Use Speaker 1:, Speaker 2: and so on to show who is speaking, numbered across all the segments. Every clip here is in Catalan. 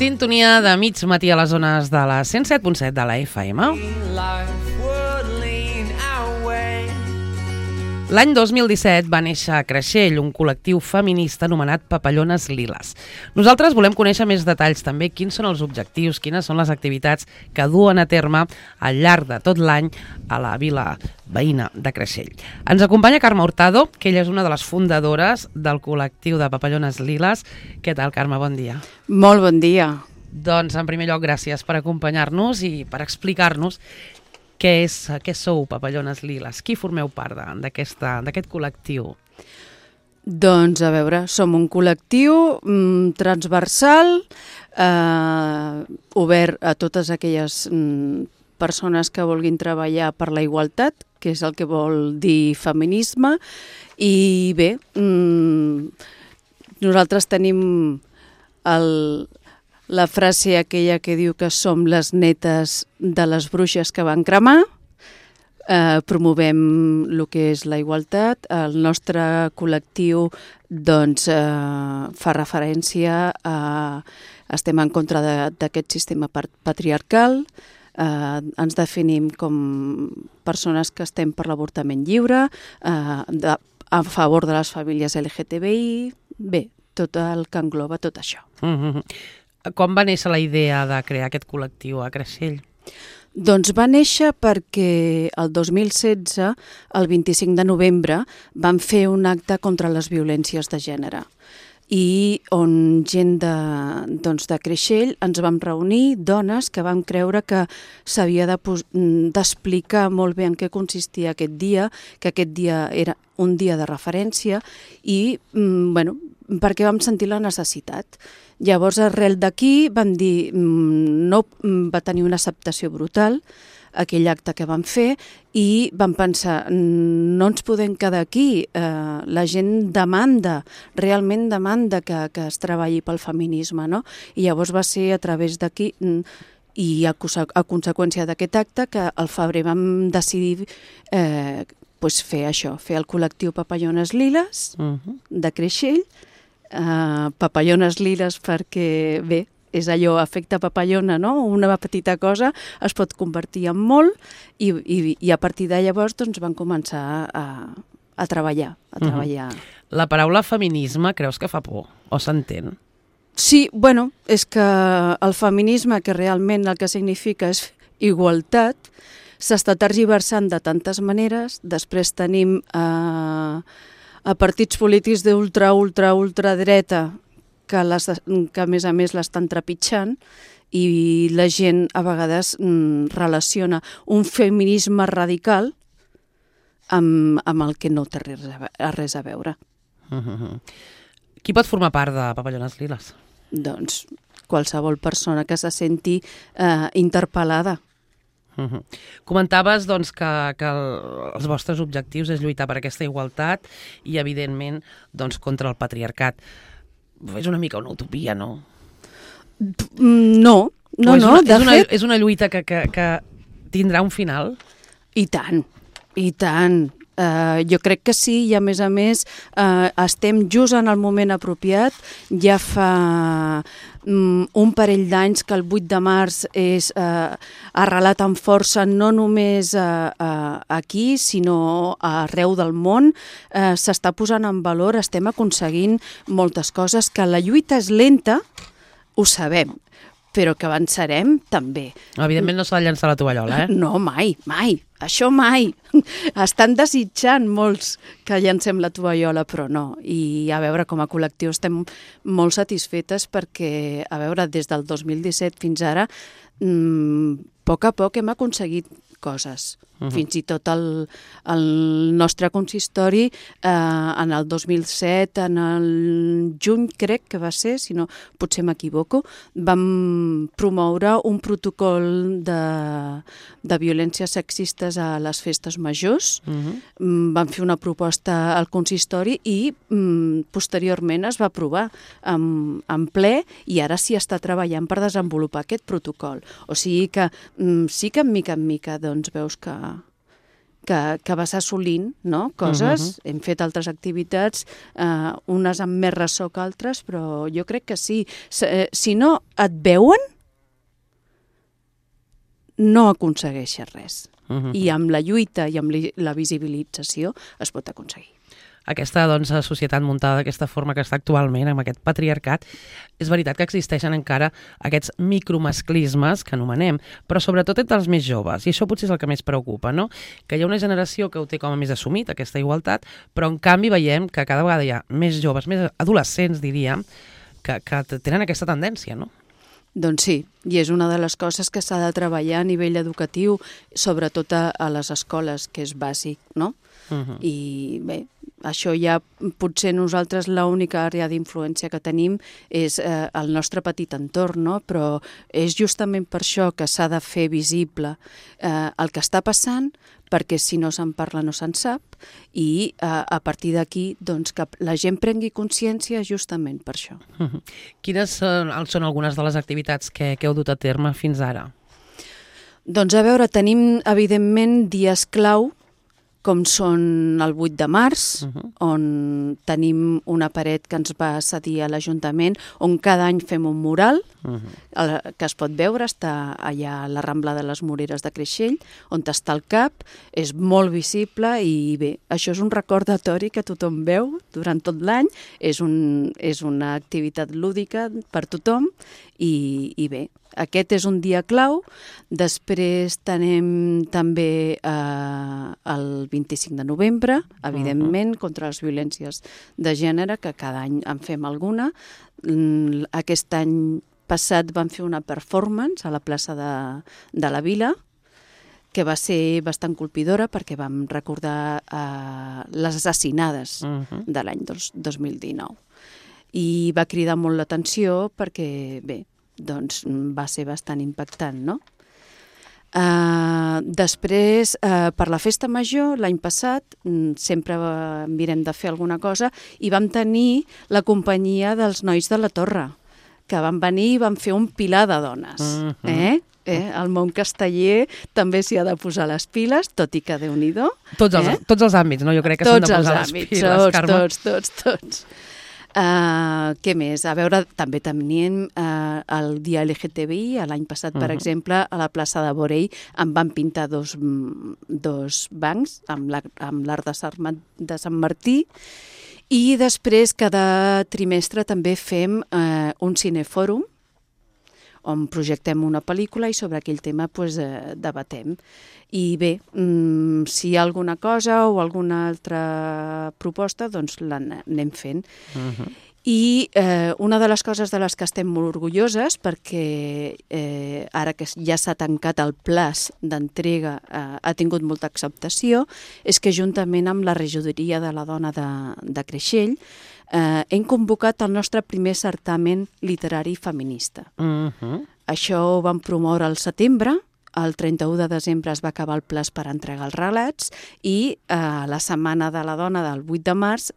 Speaker 1: Sintonia de mig matí a les zones de la 107.7 de la FM. L'any 2017 va néixer a Creixell un col·lectiu feminista anomenat Papallones Liles. Nosaltres volem conèixer més detalls també, quins són els objectius, quines són les activitats que duen a terme al llarg de tot l'any a la vila veïna de Creixell. Ens acompanya Carme Hurtado, que ella és una de les fundadores del col·lectiu de Papallones Liles. Què tal, Carme? Bon dia.
Speaker 2: Molt bon dia.
Speaker 1: Doncs, en primer lloc, gràcies per acompanyar-nos i per explicar-nos què sou Papallones Liles? Qui formeu part d'aquest col·lectiu?
Speaker 2: Doncs, a veure, som un col·lectiu transversal, obert a totes aquelles persones que vulguin treballar per la igualtat, que és el que vol dir feminisme, i bé, nosaltres tenim la frase aquella que diu que som les netes de les bruixes que van cremar, promovem el que és la igualtat. El nostre col·lectiu doncs, fa referència a... Estem en contra d'aquest sistema patriarcal, ens definim com persones que estem per l'avortament lliure, a favor de les famílies LGTBI, bé, tot el que engloba tot això.
Speaker 1: Com va néixer la idea de crear aquest col·lectiu a Creixell?
Speaker 2: Doncs va néixer perquè el 2016, el 25 de novembre, vam fer un acte contra les violències de gènere i on gent de Creixell ens vam reunir, dones que vam creure que s'havia d'explicar molt bé en què consistia aquest dia, que aquest dia era un dia de referència i, bueno, perquè vam sentir la necessitat. Llavors, arrel d'aquí, vam dir, no, va tenir una acceptació brutal, aquell acte que vam fer, i vam pensar, no ens podem quedar aquí, la gent demanda, realment demanda que es treballi pel feminisme, no? I llavors va ser a través d'aquí, i a conseqüència d'aquest acte, que al febrer vam decidir fer això, fer el col·lectiu Papallones Liles de Creixell, Papallones Liles perquè, bé, és allò, efecte papallona, no? Una petita cosa es pot convertir en molt i a partir de llavors doncs, van començar a treballar.
Speaker 1: La paraula feminisme creus que fa por o s'entén?
Speaker 2: Sí, bueno, és que el feminisme, que realment el que significa és igualtat, s'està tergiversant de tantes maneres. Després tenim a partits polítics d'ultradreta que a més a més l'estan trepitjant i la gent a vegades relaciona un feminisme radical amb el que no té res a veure.
Speaker 1: Qui pot formar part de Papallones Liles?
Speaker 2: Doncs qualsevol persona que se senti interpel·lada.
Speaker 1: Comentaves doncs, que els vostres objectius és lluitar per aquesta igualtat i, evidentment, doncs, contra el patriarcat. És una mica una utopia, no?
Speaker 2: No, de fet...
Speaker 1: És una lluita que tindrà un final?
Speaker 2: I tant, i tant. Jo crec que sí, i a més estem just en el moment apropiat. Ja fa un parell d'anys que el 8 de març és arrelat amb força no només aquí, sinó arreu del món. S'està posant en valor, estem aconseguint moltes coses, que la lluita és lenta, ho sabem, però que avançarem també.
Speaker 1: Evidentment no s'ha de llançar la tovallola,
Speaker 2: No, mai, això mai. Estan desitjant molts que llancem la tovallola, però no. I a veure, com a col·lectiu estem molt satisfetes perquè, a veure, des del 2017 fins ara, a poc hem aconseguit coses. Fins i tot el nostre consistori en el 2007, en el juny crec que va ser, si no potser m'equivoco, vam promoure un protocol de violències sexistes a les festes majors. Vam fer una proposta al consistori i posteriorment es va aprovar en ple i ara s'hi està treballant per desenvolupar aquest protocol. O sigui que sí que en mica doncs veus que que vas assolint, no? Coses, hem fet altres activitats, unes amb més ressò que altres, però jo crec que sí. Si no et veuen, no aconsegueixes res. I amb la lluita i amb la visibilització es pot aconseguir.
Speaker 1: Aquesta societat muntada d'aquesta forma que està actualment, amb aquest patriarcat, és veritat que existeixen encara aquests micromasclismes que anomenem, però sobretot entre els més joves, i això potser és el que més preocupa, no? Que hi ha una generació que ho té com a més assumit, aquesta igualtat, però en canvi veiem que cada vegada hi ha més joves, més adolescents, diríem, que tenen aquesta tendència, no?
Speaker 2: Doncs sí, i és una de les coses que s'ha de treballar a nivell educatiu, sobretot a les escoles, que és bàsic, no? I bé, això ja potser nosaltres l'única àrea d'influència que tenim és el nostre petit entorn, no? Però és justament per això que s'ha de fer visible el que està passant, perquè si no se'n parla no se'n sap, i a partir d'aquí doncs, que la gent prengui consciència justament per això.
Speaker 1: Quines són algunes de les activitats que heu dut a terme fins ara?
Speaker 2: Doncs a veure, tenim evidentment dies clau, com són el 8 de març, on tenim una paret que ens va cedir a l'Ajuntament, on cada any fem un mural, que es pot veure, està allà a la Rambla de les Moreres de Creixell, on està el CAP, és molt visible i bé, això és un recordatori que tothom veu durant tot l'any, és una activitat lúdica per tothom i bé, aquest és un dia clau. Després tenim també el 25 de novembre, evidentment, contra les violències de gènere, que cada any en fem alguna. Aquest any passat vam fer una performance a la plaça de la Vila, que va ser bastant colpidora perquè vam recordar les assassinades de l'any 2019. I va cridar molt l'atenció perquè, bé, doncs va ser bastant impactant, no? Després, per la festa major, l'any passat, sempre mirem de fer alguna cosa, i vam tenir la companyia dels Nois de la Torre, que van venir i van fer un pilar de dones. El món casteller també s'hi ha de posar les piles, tot i que Déu-n'hi-do.
Speaker 1: Tots els àmbits, no? Jo crec que s'han de posar les piles, Carme.
Speaker 2: Tots. Què més? A veure, també tenim el dia LGTBI. L'any passat, per exemple, a la plaça de Borell en van pintar dos bancs amb l'art de Sant Martí, i després cada trimestre també fem un cinefòrum on projectem una pel·lícula i sobre aquell tema debatem. I bé, si hi ha alguna cosa o alguna altra proposta, doncs l'anem fent. I una de les coses de les que estem molt orgulloses, perquè ara que ja s'ha tancat el plaç d'entrega, ha tingut molta acceptació, és que juntament amb la regidoria de la dona de Creixell hem convocat el nostre primer certamen literari feminista. Això ho vam promoure al setembre. El 31 de desembre es va acabar el plaç per entregar els relats i la Setmana de la Dona del 8 de març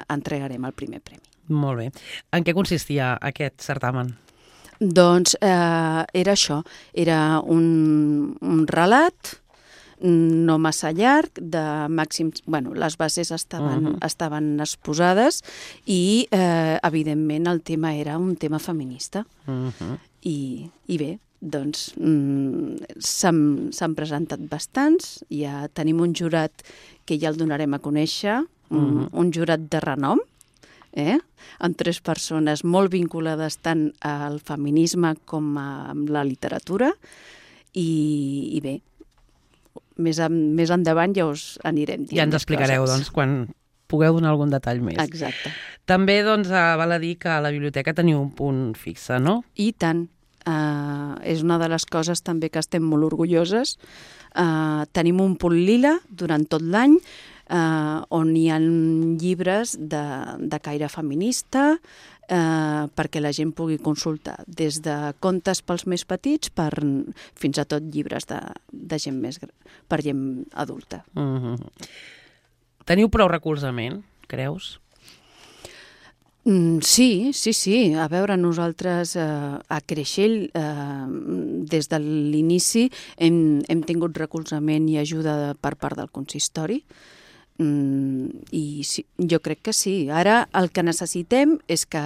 Speaker 2: entregarem el primer premi.
Speaker 1: Molt bé. En què consistia aquest certamen?
Speaker 2: Doncs era això, era un relat no massa llarg, de màxims... Bueno, les bases estaven exposades i, evidentment, el tema era un tema feminista. I bé, doncs s'han presentat bastants, ja tenim un jurat que ja el donarem a conèixer, un jurat de renom, amb 3 persones molt vinculades tant al feminisme com a la literatura, i bé, més endavant ja us anirem dient.
Speaker 1: Ja ens explicareu, doncs, quan pugueu donar algun detall més.
Speaker 2: Exacte.
Speaker 1: També, doncs, val a dir que a la biblioteca teniu un punt fixe, no?
Speaker 2: I tant. És una de les coses també que estem molt orgulloses. Tenim un punt lila durant tot l'any, on hi ha llibres de caire feminista, perquè la gent pugui consultar des de contes pels més petits fins a tot llibres de gent més per gent adulta.
Speaker 1: Teniu prou recolzament, creus?
Speaker 2: Sí. A veure, nosaltres a Creixell, des de l'inici, hem tingut recolzament i ajuda per part del consistori. I sí, jo crec que sí. Ara el que necessitem és que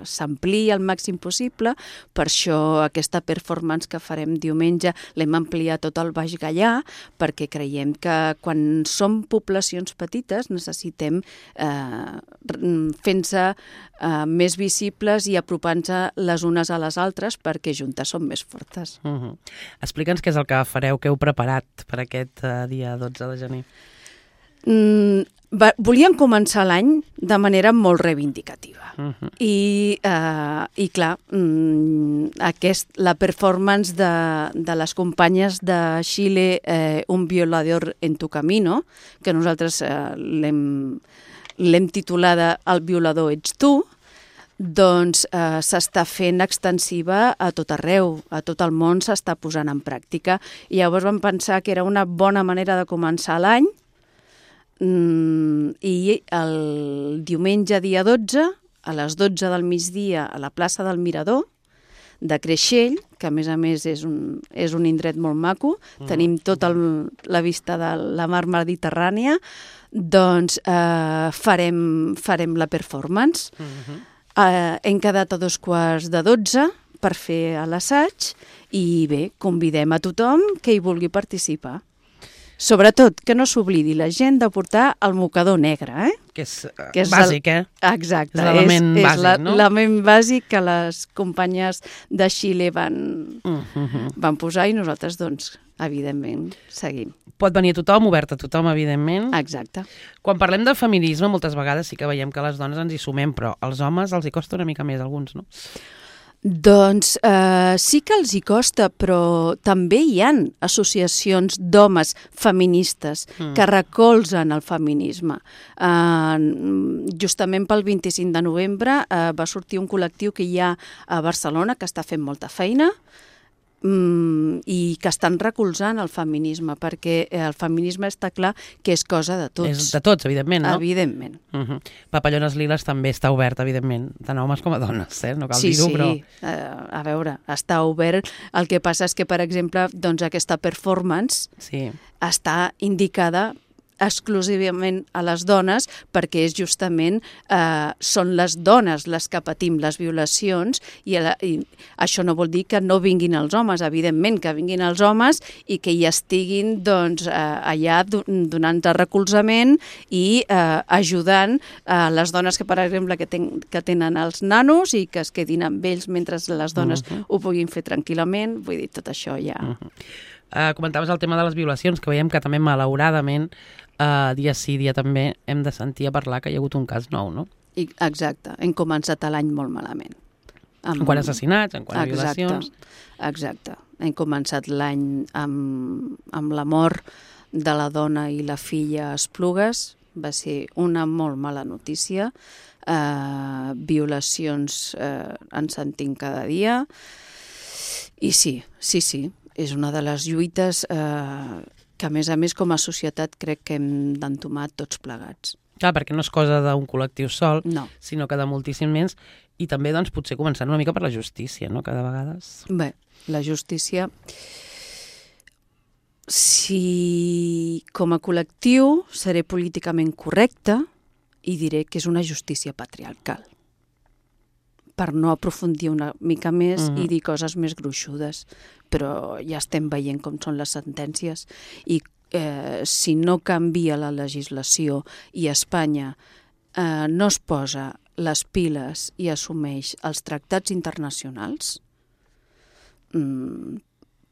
Speaker 2: s'ampliï al màxim possible, per això aquesta performance que farem diumenge l'hem ampliat tot al Baix Gaià, perquè creiem que quan som poblacions petites necessitem fent-se més visibles i apropant-se les unes a les altres, perquè juntes som més fortes.
Speaker 1: Explica'ns què és el que fareu, què heu preparat per aquest dia 12 de gener.
Speaker 2: Volíem començar l'any de manera molt reivindicativa i clar, la performance de les companyes de Xile, Un violador en tu camino, que nosaltres l'hem titulada El violador ets tu, doncs s'està fent extensiva a tot arreu, a tot el món s'està posant en pràctica, i llavors vam pensar que era una bona manera de començar l'any. I el diumenge dia 12, a les 12 del migdia, a la plaça del Mirador de Creixell, que a més és un indret molt maco, tenim tota la vista de la mar Mediterrània, doncs farem la performance. Hem quedat a 11:45 per fer l'assaig i bé, convidem a tothom que hi vulgui participar. Sobretot, que no s'oblidi la gent de portar el mocador negre,
Speaker 1: que és bàsic,
Speaker 2: Exacte.
Speaker 1: És l'element bàsic, no?
Speaker 2: L'element bàsic que les companyes de Xile van posar i nosaltres, doncs, evidentment, seguim.
Speaker 1: Pot venir tothom, obert a tothom, evidentment.
Speaker 2: Exacte.
Speaker 1: Quan parlem de feminisme, moltes vegades sí que veiem que les dones ens hi sumem, però als homes els hi costa una mica més, alguns, no?
Speaker 2: Doncs sí que els hi costa, però també hi ha associacions d'homes feministes que recolzen el feminisme. Justament pel 25 de novembre va sortir un col·lectiu que hi ha a Barcelona que està fent molta feina i que estan recolzant el feminisme, perquè el feminisme està clar que és cosa de tots.
Speaker 1: És de tots, evidentment, no?
Speaker 2: Evidentment.
Speaker 1: Papallones Liles també està obert, evidentment, tant a homes com a dones, no cal dir-ho, però...
Speaker 2: Sí, a veure, està obert. El que passa és que, per exemple, doncs aquesta performance està indicada exclusivament a les dones, perquè és justament són les dones les que patim les violacions i això no vol dir que no vinguin els homes, evidentment que vinguin els homes i que hi estiguin doncs, allà donant recolzament i ajudant les dones que, per exemple, que tenen els nanos i que es quedin amb ells mentre les dones ho puguin fer tranquil·lament, vull dir, tot això ja...
Speaker 1: Comentaves el tema de les violacions, que veiem que també malauradament dia sí, dia també hem de sentir a parlar que hi ha hagut un cas nou, no?
Speaker 2: Exacte, hem començat l'any molt malament.
Speaker 1: En quant a assassinats, en quant a violacions...
Speaker 2: Exacte, hem començat l'any amb la mort de la dona i la filla a Esplugues, va ser una molt mala notícia, violacions en sentim cada dia, i sí, és una de les lluites que, a més, com a societat crec que hem d'entomar tots plegats.
Speaker 1: Clar, perquè no és cosa d'un col·lectiu sol, sinó que de moltíssims més, i també doncs, potser començant una mica per la justícia, no?, cada vegada.
Speaker 2: Bé, la justícia, si com a col·lectiu seré políticament correcta i diré que és una justícia patriarcal, per no aprofundir una mica més i dir coses més gruixudes. Però ja estem veient com són les sentències i si no canvia la legislació i Espanya no es posa les piles i assumeix els tractats internacionals,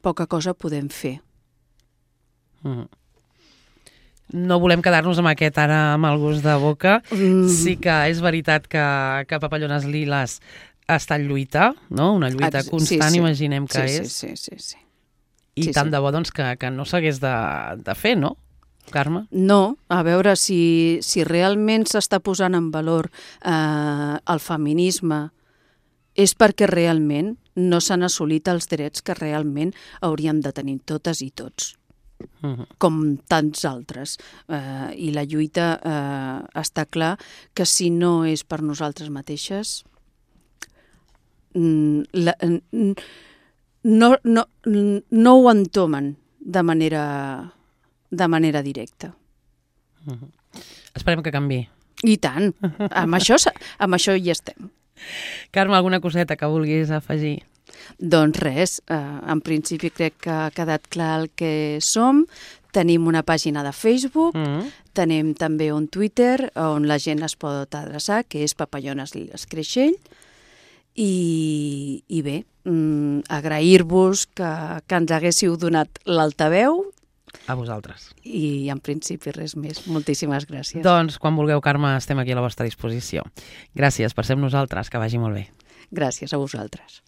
Speaker 2: poca cosa podem fer.
Speaker 1: No volem quedar-nos amb aquest ara amb el gust de boca. Sí que és veritat que Papallones Liles està en lluita, no? Una lluita constant, imaginem que és.
Speaker 2: Sí.
Speaker 1: I tant de bo doncs, que no s'hagués de fer, no, Carme?
Speaker 2: No, a veure si realment s'està posant en valor el feminisme és perquè realment no s'han assolit els drets que realment hauríem de tenir totes i tots. com tants altres. I la lluita està clar que si no és per nosaltres mateixes, no ho entomen de manera directa.
Speaker 1: Esperem que canviï.
Speaker 2: I tant, amb això hi estem.
Speaker 1: Carme, alguna coseta que vulguis afegir?
Speaker 2: Doncs res, en principi crec que ha quedat clar el que som. Tenim una pàgina de Facebook, tenim també un Twitter on la gent es pot adreçar, que és Papallones Liles Creixell. I bé, agrair-vos que ens haguéssiu donat l'altaveu.
Speaker 1: A vosaltres.
Speaker 2: I en principi res més. Moltíssimes gràcies.
Speaker 1: Doncs quan vulgueu, Carme, estem aquí a la vostra disposició. Gràcies per ser amb nosaltres, que vagi molt bé.
Speaker 2: Gràcies a vosaltres.